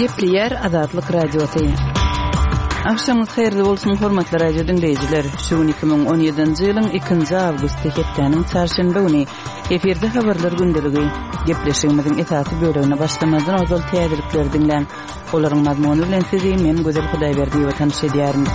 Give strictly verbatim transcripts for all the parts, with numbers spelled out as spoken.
Gepleýär Azatlyk Radiosy. Agşamyňyz haýyrly bolsun, hormatly radio diňleýjiler. Şu gün iki müň on ýedinji ýylyň ikinji awgusty hepdäniň çarşenbe güni. Efirde habarlar gündeligi. Gepleşigimiziň esasy bölegine başlamazdan ozal täzelikleri diňläň. Olaryň mazmuny bilen sizi men Gözel Hudaýberdiýewa tanyş edýärin.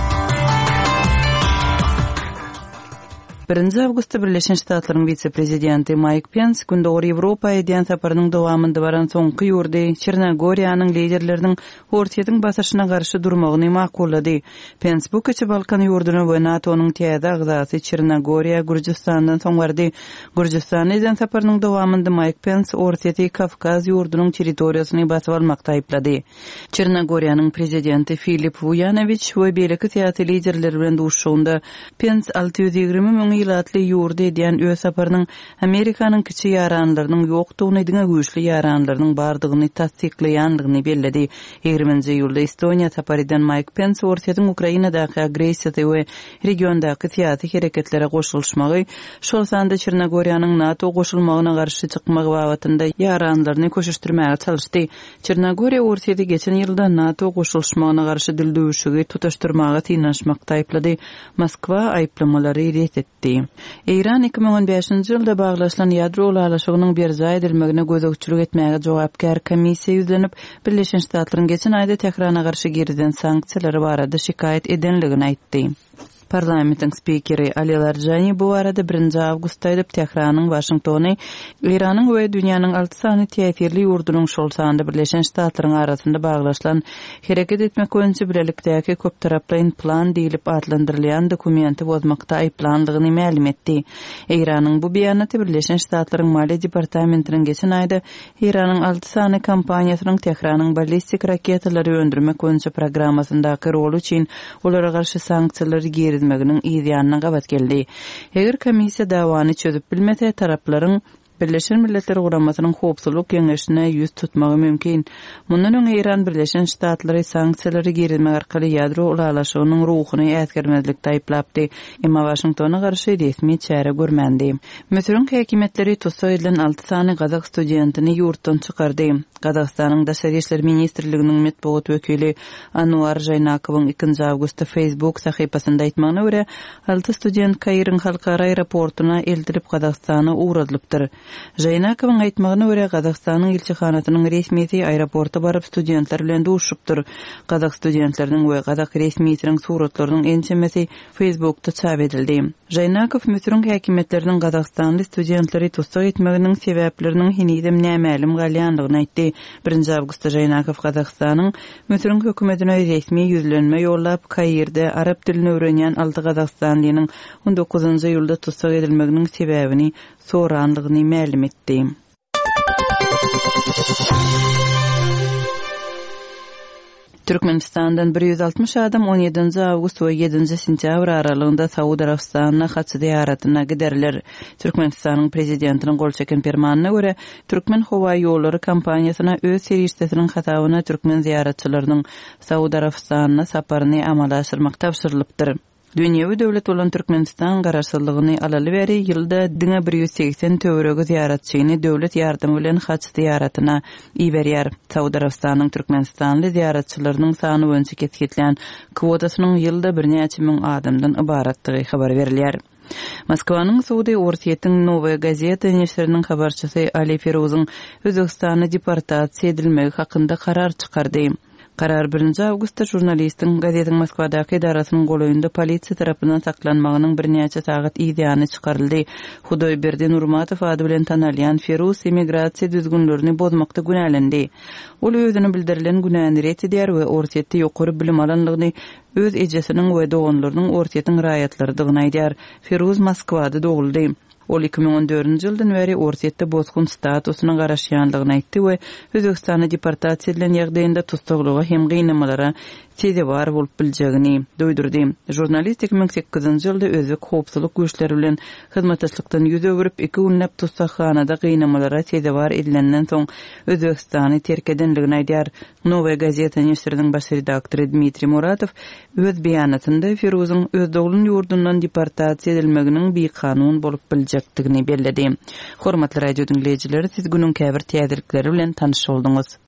Birinji awgustda Birleşen Ştatlaryň wise-prezidenti Maýk Pens Gündogar Ýewropa edýän saparynyň dowamynda baran soňky ýurdy Çernogoriýanyň liderleriniň Orsýetiň basyşyna garşy durmagyny makullady. Pens bu kiçi Balkan ýurduna we NATO-nyň täze agzasy Çernogoriýa Gürjüstandan soň bardy. Gürjüstana eden saparynyň dowamynda Maýk Pens Orsýeti Kawkaz ýurdunyň territoriýasyny basyp almakda aýyplady. Çernogoriýanyň prezidenti Filip Wujanowiç we beýleki syýasy liderler bilen duşuşygynda Pens alty ýüz ýigrimi müň ilatly ýurdy edýän öz saparynyň Amerikanyň kiçi ýaranlarynyň ýokdugyny, diňe güýçli ýaranlarynyň bardygyny tassyklaýandygyny belledi. Ýigriminji iýulda Estoniýa sapar eden Maýk Pens Orsýetiň Ukrainadaky agressiýasy we regiondaky syýasy hereketlere goşulyşmagy, şol sanda Çernogoriýanyň NATO goşulmagyna garşy çykmagy babatynda ýaranlaryny köşeşdirmäge çalyşdy. Çernogoriýa Orsýeti geçen ýylda NATO goşulyşmagyna garşy dildüwüşigi tutaşdyrmaga synanyşmakda aýyplady. Moskwa aýyplamalary ret etdi. Eýran iki müň on bäşinji ýylda baglaşylan ýadro ylalaşygynyň berjaý edilmegine gözegçilik etmäge jogapkär komissiýa ýüzlenip, Birleşen Ştatlaryň geçen aýda Tährana garşy girizen sanksiýalary barada şikaýat edenligini aýtdy. Parlamentiň spikeri Ali Larjani bu barada birinji awgustda aýdyp, Tähranyň Waşingtony Eýranyň we dünýäniň alty sany täsirli ýurdunyň, şol sanda Birleşen Ştatlaryň arasynda baglaşylan hereket etmek boýunça bilelikdäki köptaraplaýyn plan diýlip atlandyrylýan dokumenti bozmakda aýyplandygyny mälim etdi. Eýranyň bu beýanaty Birleşen Ştatlaryň Maliýe departamentiniň geçen aýda Eýranyň alty sany kompaniýasynyň Tähranyň ballistik raketalary öndürmek boýunça programmasyndaky roly üçin olara garşy sanksiýalary girizmeginiň yz ýanyna gabat geldi. Eger komissiýa dawany çözüp bilmese, taraplaryň Birleşen Milletler Guramasynyň Howpsuzlyk Geňeşine ýüz tutmagy mümkin. Mundan öň Eýran Birleşen Ştatlary sanksiýalary girizmek arkaly ýadro ylalaşygynyň ruhuny äsgermezlikde aýyplapdy. Emma Waşingtona garşy resmi çäre görmändi. Müsüriň häkimiýetleri tussag edilen alty sany gazak studentini ýurtdan çykardy. Gazagystanyň Daşary işler ministrliginiň metbugat wekili Anuar Žaýnakowyň ikinji awgustda Facebook sahypasynda aýtmagyna görä, alty student Kairiň halkara aeroportuna eltilip Gazagystana ugradylypdyr. Žaýnakowyň aýtmagyna görä, Gazagystanyň ilçihanasynyň resmisi aeroporta baryp studentler bilen duşupdyr. Gazak studentleriniň we gazak resmisiniň suratlarynyň ençemesi Facebookda çap edildi. Žaýnakow Müsüriň häkimiýetleriniň Gazagystanly studentleri tussag etmeginiň sebäpleriniň henizem nämälim galýandygyny aýtdy. Birinji awgustda Žaýnakow Gazagystanyň Müsüriň hökümetine resmi ýüzlenme ýollap, Kairde arap dilini öwrenýän alty Gazagystanlynyň on dokuzynjy iýulda tussag edilmeginiň sebäbini sorandygyny mälim etdi. Türkmenistandan bir ýüz altmyş adam on ýedinji awgust we ýedinji sentýabr aralygynda Saud Arabystanyna haç zyýaratyna giderler. Türkmenistanyň prezidentiniň gol çeken permanyna görä, Türkmen howa ýollary kompaniýasyna öz serişdesiniň hasabyna türkmen zyýaratçylarynyň Saud Arabystanyna saparyny amala aşyrmak tabşyrylypdyr. Dünýewi döwlet bolan Türkmenistan garaşsyzlygyny alaly bäri ýylda diňe bir ýüz segsen töweregi zyýaratçyny döwlet ýardymy bilen haç zyýaratyna iberýär. Saud Arabystanyň Türkmenistanly zyýaratçylarynyň sany boýunça kesgitlän kwotasynyň ýylda birnäçe müň adamdan ybaratdygy habar berilýär. Moskwanyň sudy Orsýetiň Nowaýa gazeta neşiriniň habarçysy Ali Feruzyň Özbegistana deportasiýa edilmegi hakynda karar çykardy. Karar birinji awgustda žurnalistiň gazetiň Moskwadaky edarasynyň golaýynda polisiýa tarapyndan saklanmagynyň birnäçe sagat yz ýany çykaryldy. Hudoýberdi Nurmatow ady bilen tanalýan Feruz emigrasiýa düzgünlerini bozmakda günälendi. Ol özüni bildirilen günäni ret edýär we Orsýetde ýokary bilim alanlygyny, öz ejesiniň we doganlarynyň Orsýetiň raýatlarydygyny aýdýar. Feruz Moskwada doguldy. Ol iki müň on dördünji ýyldan bäri Orsýetde bosgun statusyna garaşýanlygyny aýtdy we Özbegistana deportasiýa edilen ýagdaýynda tussaglyga hem gynamalara sezewar bolup biljegini duýdurdy. Žurnalist iki müň sekizinji ýylda özbek howpsuzlyk güýçleri bilen hyzmatdaşlykdan ýüz öwürip, iki günläp tussaghanada gynamalara sezewar edilenden soň Özbegistany terk edenligini aýdýar. Nowaýa gazeta neşiriniň baş redaktory Dmitriý Muratow öz beýanatynda Feruzyň öz doglan ýurdundan deportasiýa edilmeginiň bikanun bolup biljekdigini belledi. Hormatly radio diňleýjiler, siz günüň käbir täzelikleri bilen tanyş bolduňyz.